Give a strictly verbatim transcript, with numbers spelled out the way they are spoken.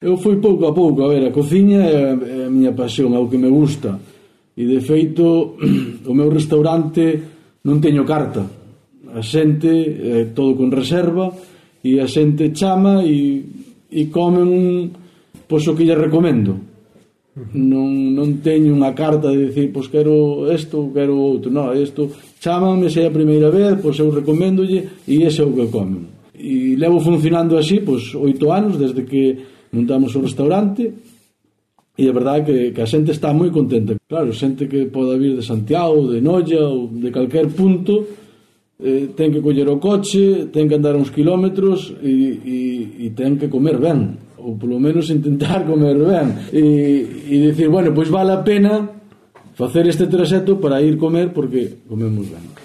Eu fui pouco a pouco, a ver, a cociña é a miña pasión, é o que me gusta, e de feito o meu restaurante non teño carta, a xente é todo con reserva e a xente chama e, e comen pois o que lle recomendo. Non, non teño unha carta de dicir pois quero isto, quero outro, non, isto chámanme se é a primeira vez, pois eu recoméndolle e ese é o que comen. E levo funcionando así pois oito anos desde que montamos o restaurante e a verdade é que, que a xente está moi contenta. Claro, xente que poda vir de Santiago, de Noia ou de calquer punto, eh, ten que coller o coche, ten que andar uns kilómetros e, e, e ten que comer ben, ou polo menos intentar comer ben e, e dicir, bueno, pois vale a pena facer este traxecto para ir comer porque comemos ben.